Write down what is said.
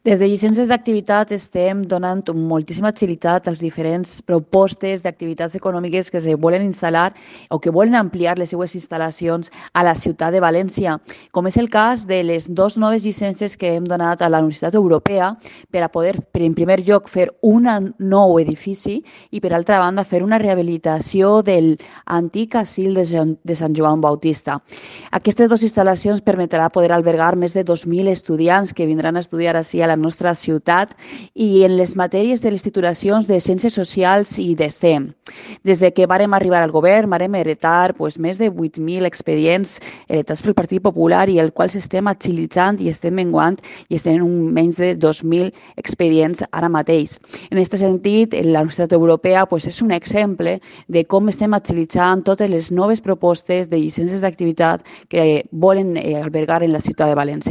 Des de llicències d'activitat estem donant moltíssima agilitat als diferents propostes d'activitats econòmiques que se volen instal·lar o que volen ampliar les seues instal·lacions a la ciutat de València, com és el cas de les dues noves llicències que hem donat a la Universitat Europea per a poder, en primer lloc, fer un nou edifici i, per altra banda, fer una rehabilitació del antic asil de Sant Joan Bautista. Aquestes dues instal·lacions permetrà poder albergar més de 2.000 estudiants que vindran a estudiar així a la nostra ciutat i en les matèries de les titulacions de Ciències Socials i d'STEM. Des de que vàrem arribar al govern, vàrem heretar més de 8.000 expedients heretats pel Partit Popular i el qual s'estem agilitzant i estem menguant i estem en menys de 2.000 expedients ara mateix. En aquest sentit, la Universitat Europea és un exemple de com estem agilitzant totes les noves propostes de llicències d'activitat que volen albergar en la ciutat de València.